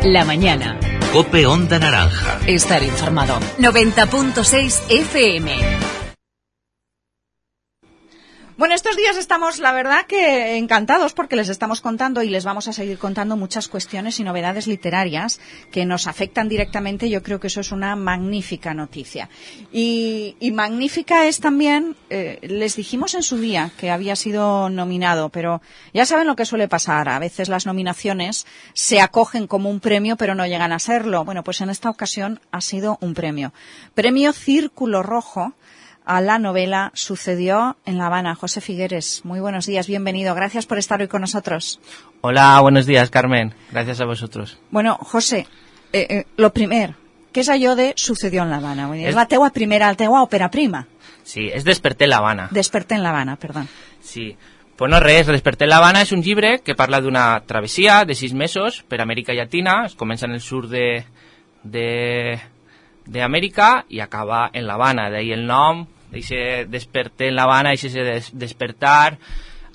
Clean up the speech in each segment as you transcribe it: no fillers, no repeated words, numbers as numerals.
La mañana. COPE Onda Naranja. Estar informado. 90.6 FM. Bueno, estos días estamos, la verdad, que encantados porque les estamos contando y les vamos a seguir contando muchas cuestiones y novedades literarias que nos afectan directamente. Yo creo que eso es una magnífica noticia. Y magnífica es también, les dijimos en su día que había sido nominado, pero ya saben lo que suele pasar. A veces las nominaciones se acogen como un premio, pero no llegan a serlo. Bueno, pues en esta ocasión ha sido un premio. Premio Círculo Rojo a la novela Sucedió en La Habana. José Figueres, muy buenos días, bienvenido. Gracias por estar hoy con nosotros. Hola, buenos días, Carmen. Gracias a vosotros. Bueno, José, lo primer, què és allò de Sucedió en La Habana? És la teua primera, la teua òpera prima. Sí, és Desperté en La Habana. Desperté en La Habana, perdó. Sí. Pues no res, Desperté en La Habana és un llibre que parla d'una travessia de 6 mesos per Amèrica Llatina. Es comença en el sud d'Amèrica i acaba en La Habana. D'ahí el nom, d'eixe Desperté en La Habana, eixe despertar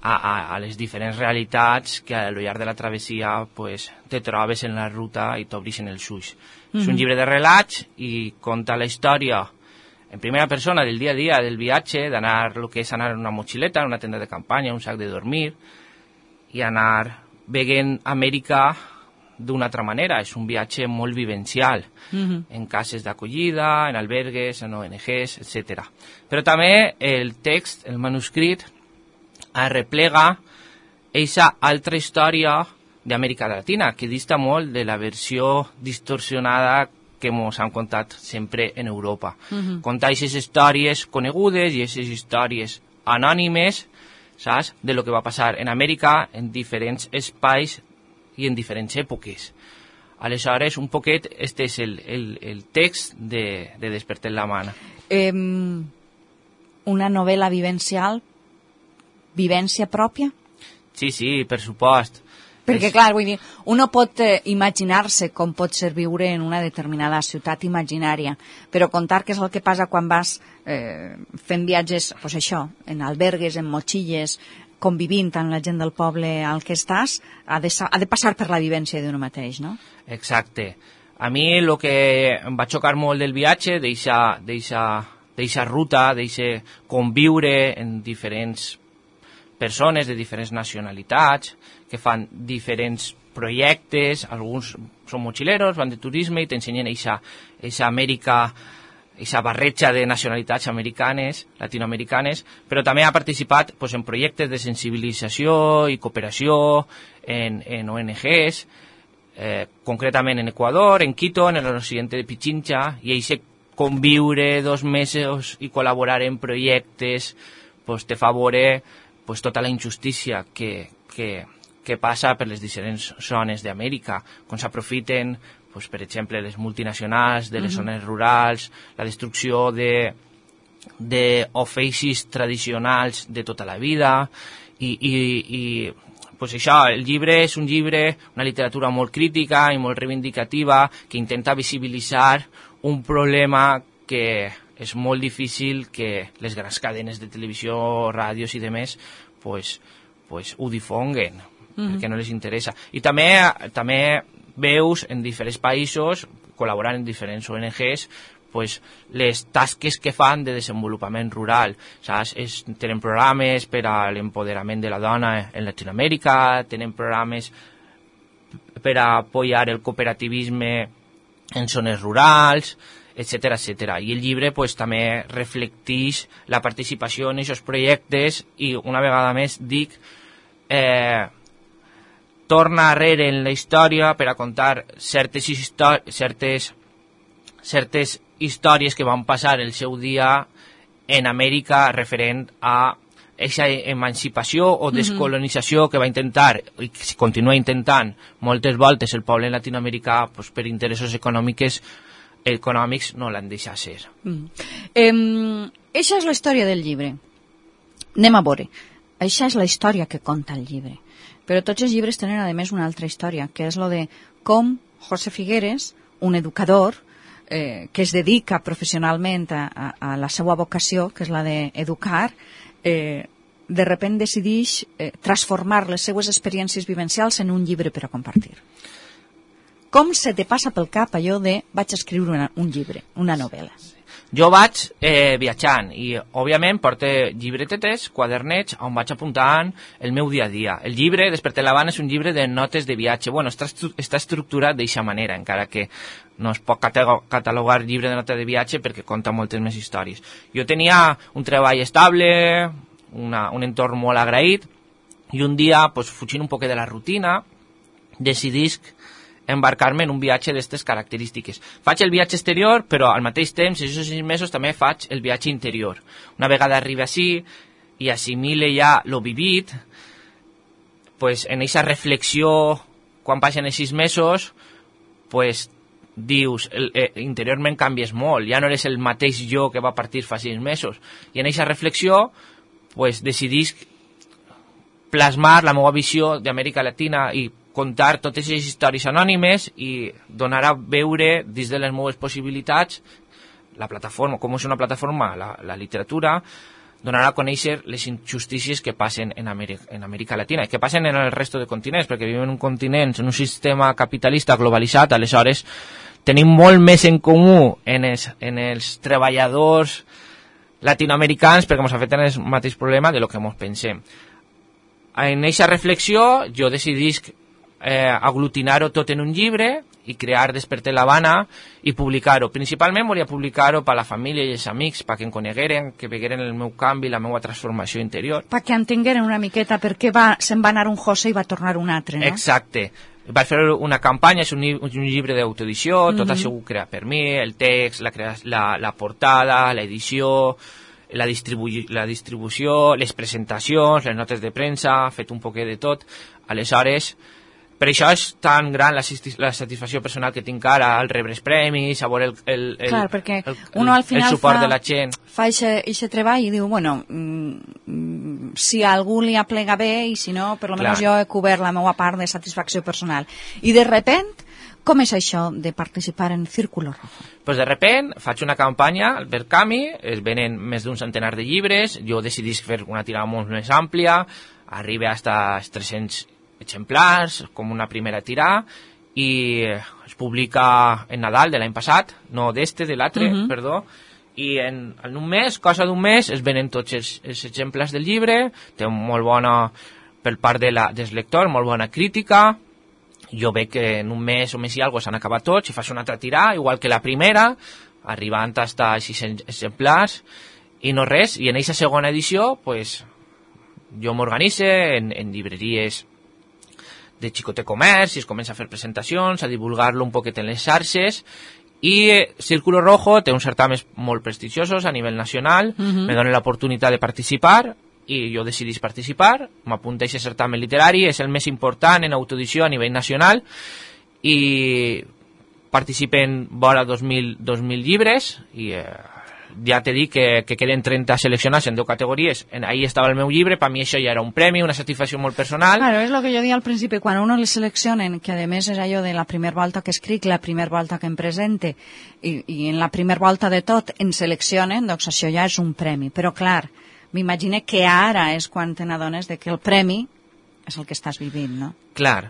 a les diferents realitats que a lo llarg de la travessia pues, te trobes en la ruta i t'obrixen els ulls. És un llibre de relats i conta la història en primera persona del dia a dia del viatge, d'anar el que és anar en una motxileta, en una tenda de campanya, un sac de dormir i anar veient Amèrica d'una altra manera. És un viatge molt vivencial, en cases d'acollida, en albergues, en ONGs, etc. Però també el text, el manuscrit, arreplega eixa altra història d'Amèrica Latina, que dista molt de la versió distorsionada que ens han contat sempre en Europa. Contar aquestes històries conegudes i aquestes històries anònimes, saps, de lo que va passar en Amèrica en diferents espais i en diferents èpoques. Aleshores, un poquet, este és el text de Desperté en La Habana. Una novel·la vivencial, vivència pròpia? Sí, per supost. Perquè, clar, vull dir, uno pot imaginar-se com pot ser viure en una determinada ciutat imaginària, però contar què és el que passa quan vas fent viatges, doncs això, en albergues, en motxilles, convivint amb la gent del poble al que estàs, ha de passar per la vivència d'un mateix, no? Exacte. A mi el que em va xocar molt del viatge, d'eixa ruta, d'eixe conviure en diferents persones de diferents nacionalitats, que fan diferents projectes, alguns són motxileros, van de turisme i t'ensenyen eixa Amèrica, aquesta barreja de nacionalitats americanes, latinoamericanes, però també ha participat pues, en projectes de sensibilització i cooperació en ONGs, concretament en Ecuador, en Quito, en el occidente de Pichincha, i eixe conviure 2 mesos i col·laborar en projectes pues, te fa veure pues, tota la injustícia que passa per les diferents zones d'Amèrica, quan s'aprofiten pues, per exemple, les multinacionals de les zones rurals, la destrucció d'oficis tradicionals de tota la vida, i pues això, el llibre és un llibre, una literatura molt crítica i molt reivindicativa, que intenta visibilitzar un problema que és molt difícil que les grans cadenes de televisió, ràdios i demés pues, ho difonguen, perquè no les interessa. I també veus en diferents països, col·laborant en diferents ONGs, pues, les tasques que fan de desenvolupament rural. Saps? Tenen programes per a l'empoderament de la dona en Latinoamèrica, tenen programes per a apoyar el cooperativisme en zones rurals, etc. I el llibre pues, també reflecteix la participació en aquests projectes i, una vegada més, dic, torna arrere en la història per a contar certes històries que van passar el seu dia en Amèrica referent a aquesta emancipació o descolonització que va intentar i que continua intentant moltes voltes el poble latinoamericà pues, per interessos econòmics no l'han deixat ser. Eixa és la història del llibre. Anem a veure. Eixa és la història que conta el llibre. Però tots els llibres tenen, a més, una altra història, que és lo de com José Figueres, un educador que es dedica professionalment a la seva vocació, que és la d'educar, de repent decideix transformar les seues experiències vivencials en un llibre per a compartir. com se te passa pel cap allò de vaig escriure un llibre, una novel·la? Jo vaig viatjant i, òbviament, porto llibretetes, quadernets, on vaig apuntant el meu dia a dia. El llibre, Despertar la Habana, és un llibre de notes de viatge. Bueno, està estructurat d'eixa manera, encara que no es pot catalogar llibre de notes de viatge perquè conta moltes més històries. Jo tenia un treball estable, un entorn molt agraït, i un dia, pues, fugint un poc de la rutina, decidisc embarcar-me en un viatge d'aquestes característiques. Faig el viatge exterior, però al mateix temps, en aquests 6 mesos, també faig el viatge interior. Una vegada arriba així i assimile ja lo vivit, pues, en aquesta reflexió, quan passen els 6 mesos, pues, dius, interiorment canvies molt, ja no eres el mateix jo que va partir fa 6 mesos. I en aquesta reflexió, pues, decidisc plasmar la meva visió d'Amèrica Latina i contar totes les històries anònimes i donar a veure dins de les meves possibilitats la plataforma, com és una plataforma, la literatura, donar a conèixer les injustícies que passen en Amèrica Latina i que passen en el resto de continents, perquè vivim en un continent, en un sistema capitalista globalitzat, aleshores tenim molt més en comú en els treballadors latinoamericans perquè ens afecten el mateix problema de lo que ens pensem. En aquesta reflexió jo decidisc aglutinar-ho tot en un llibre i crear Despertar la Habana i publicar-ho. Principalment volia publicar-ho per a la família i els amics, perquè em conegueren, que vegueren el meu canvi, la meva transformació interior. Perquè entengueren una miqueta per què se'n va anar un José i va tornar un altre, no? Exacte. Vaig fer una campanya, és un llibre d'autoedició, tot això ho crea per mi, el text, la portada, l'edició, la distribució, les presentacions, les notes de premsa, fet un poquet de tot. Aleshores, per això és tan gran la satisfacció personal que tinc ara al rebre els premis, a veure el suport de la gent. Fa aquest treball i diu, bueno, si a algú li aplega bé i si no, per almenys jo he cobert la meva part de satisfacció personal. I de repent, com és això de participar en Círculo Rojo? Pues de repent faig una campanya al Verkami, es venen més d'un centenar de llibres, jo decidisc fer una tirada molt més àmplia, arriba fins 300 exemplars, com una primera tirada, i es publica en Nadal de l'any passat, no de l'altre, perdó, i en un mes, cosa d'un mes, es venen tots els exemplars del llibre, té molt bona, per part dels lectors, molt bona crítica. Jo veig que en un mes o més i alguna s'han acabat tots i fas una altra tirada, igual que la primera, arribant fins a 600 exemplars, i no res, i en aquesta segona edició, pues, jo m'organice en llibreries de xicote comerç i es comença a fer presentacions, a divulgar-lo un poquet en les xarxes, i Círculo Rojo té uns certàmens molt prestigiosos a nivell nacional, me donen l'oportunitat de participar i jo decidís participar, m'apunta a aquest certamen literari, és el més important en autoedició a nivell nacional i participen vora 2.000 llibres i ja t'he dit que queden 30 seleccionats en 10 categories. Ahí estava el meu llibre, per mi això ja era un premi, una satisfacció molt personal. Claro, és el que jo deia al principi, quan uno le seleccionen, que a més és allò de la primera volta que escric, la primera volta que em presente, i en la primera volta de tot em seleccionen, doncs això ja és un premi. Però clar, m'imagino que ara és quan te n'adones de que el premi és el que estàs vivint, no? Clar.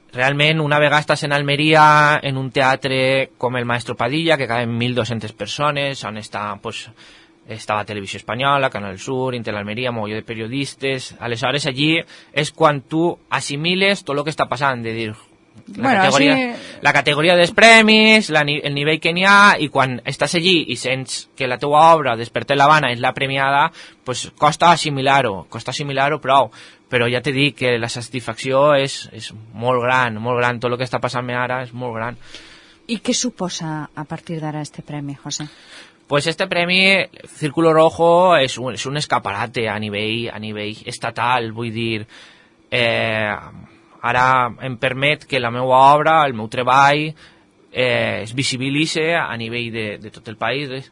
Realment, una vegada estàs en Almeria, en un teatre com el Maestro Padilla, que caben 1.200 persones, on està, pues, estava Televisió Espanyola, Canal Sur, Intelalmeria, mogolló de periodistes. Aleshores, allí és quan tu assimiles tot el que està passant, de dir, la categoria dels premis, el nivell que n'hi ha, i quan estàs allí i sents que la teua obra, Despertar la Habana, és la premiada, pues costa assimilar-ho prou. Però ja t'he dit que la satisfacció és molt gran, tot el que està passant ara és molt gran. I què suposa a partir d'ara este premi, José? Pues este premi, Círculo Rojo, és un escaparate a nivell estatal, vull dir, ara em permet que la meva obra, el meu treball, es visibilitze a nivell de tot el país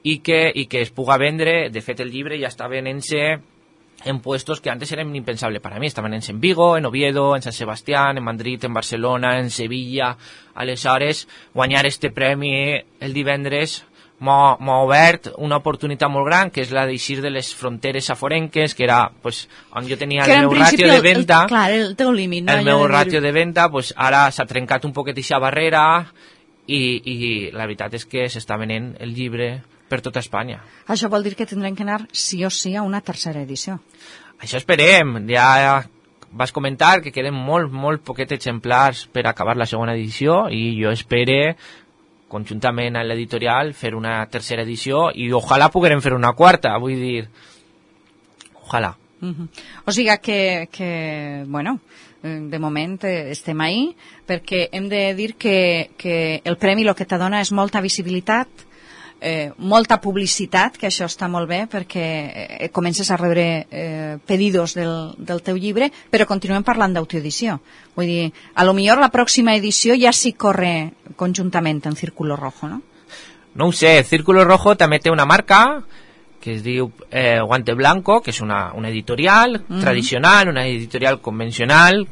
i que es puga vendre. De fet, el llibre ja està venent-se en puestos que antes eran impensables para mí. Estaven en Vigo, en Oviedo, en San Sebastián, en Madrid, en Barcelona, en Sevilla. Aleshores, guanyar este premi el divendres m'ha obert una oportunitat molt gran, que és la d'eixir de les fronteres aforenques, que era pues, on jo tenia el meu ràtio de venda. Clar, el teu límit, no? El meu ràtio de venda, pues, ara s'ha trencat un poquet aquesta barrera i la veritat és que s'està venent el llibre per tota Espanya. Això vol dir que tindrem que anar sí o sí a una tercera edició. Això esperem. Ja vas comentar que queden molt poquets exemplars per acabar la segona edició i jo espero conjuntament amb l'editorial fer una tercera edició i ojalà puguem fer una quarta, vull dir, ojalà. O sigui que bueno, de moment estem ahí, perquè hem de dir que el premi el que t'adona és molta visibilitat, molta publicitat, que això està molt bé perquè comences a rebre pedidos del teu llibre, però continuem parlant d'autoedició. Vull dir, a lo millor la pròxima edició ja s'hi corre conjuntament en Círculo Rojo, no? No ho sé, Círculo Rojo també té una marca que es diu Guante Blanco, que és una editorial tradicional, una editorial convencional.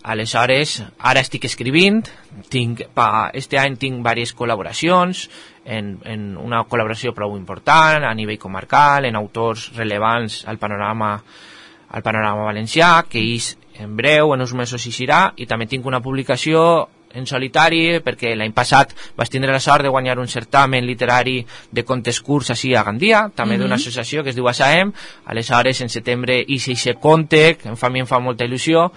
Aleshores, ara estic escrivint, este any tinc diverses col·laboracions, en una col·laboració prou important a nivell comarcal, en autors rellevants al panorama valencià, que en breu, en uns mesos eixirà, i també tinc una publicació en solitari, perquè l'any passat vaig tindre la sort de guanyar un certamen literari de contes curts així a Gandia, també d'una associació que es diu ASAEM. Aleshores, en setembre eixe conte, que a mi em fa molta il·lusió,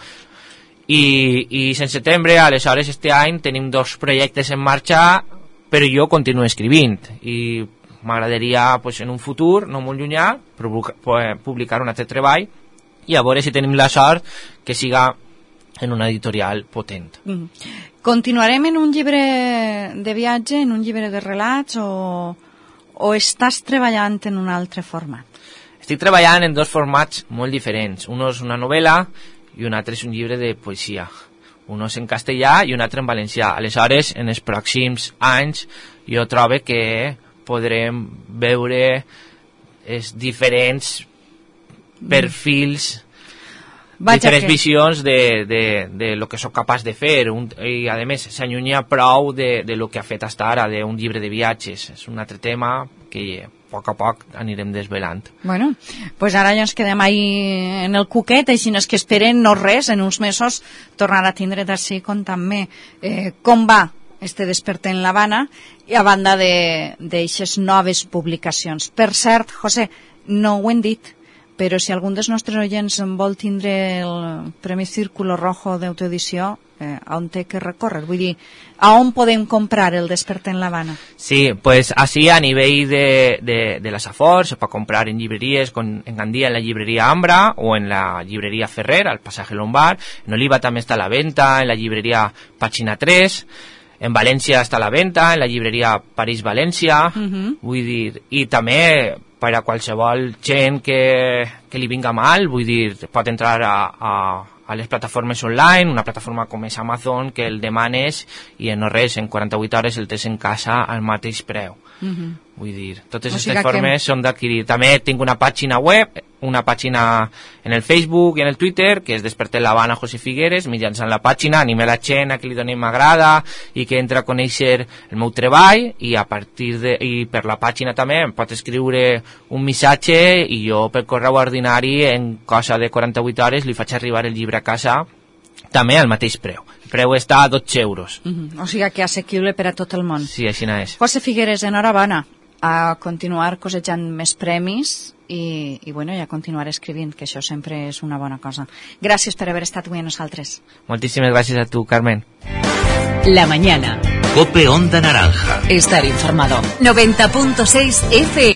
i en setembre, aleshores, este any tenim 2 projectes en marxa, però jo continuo escrivint i m'agradaria pues, en un futur, no molt llunyà, publicar un altre treball i a veure si tenim la sort que siga en una editorial potent. Continuarem en un llibre de viatge, en un llibre de relats o estàs treballant en un altre format? Estic treballant en 2 formats molt diferents. Un és una novel·la i un altre és un llibre de poesia. Un és en castellà i un altre en valencià. Aleshores, en els pròxims anys, jo trobo que podrem veure els diferents perfils, diferents visions de lo que sóc capaç de fer. I, a més, s'allunya prou de lo que ha fet fins ara, d'un llibre de viatges. És un altre tema que a poc anirem desvelant. Bueno, pues ara ja ens quedem ahí en el cuquet, així no és que esperen no res, en uns mesos tornar a tindre d'ací contant-me com va este Despertar en l'Havana i a banda d'eixes noves publicacions. Per cert, José, no ho hem dit, però si algun dels nostres oients vol tindre el Premi Círculo Rojo d'autoedició, on té que recórrer? Vull dir, a on podem comprar el Despertar en l'Havana? Sí, pues así a nivell de la Safor se pot comprar en llibreries, en Gandia en la llibreria Ambra o en la llibreria Ferrer, al Pasaje Lombard. En Oliva també està a la venta, en la llibreria Pàgina 3. En València està a la venta, en la llibreria París-València. Vull dir, i també per a qualsevol gent que li vinga mal, vull dir, pot entrar a les plataformes online, una plataforma com és Amazon, que el demanes i en no res, en 48 hores el tens en casa al mateix preu. Vull dir, totes aquestes formes són d'adquirir. També tinc una pàgina web, una pàgina en el Facebook i en el Twitter, que és Despertar en l'Havana José Figueres. Mitjançant la pàgina anime la gent a que li doni m'agrada i que entra a conèixer el meu treball, i a partir i per la pàgina també em pot escriure un missatge i jo per correu ordinari en cosa de 48 hores li faig arribar el llibre a casa també al mateix preu. El preu està a 12 euros. O sigui que assequible per a tot el món. Sí, així és. José Figueres, enhorabona, a continuar cosechant més premis i bueno, ja continuar escrivint, que això sempre és una bona cosa. Gràcies per haver estat avui amb nosaltres. Moltíssimes gràcies a tu, Carmen. La mañana. Cope Onda Naranja. Estar informado. 90.6 FM.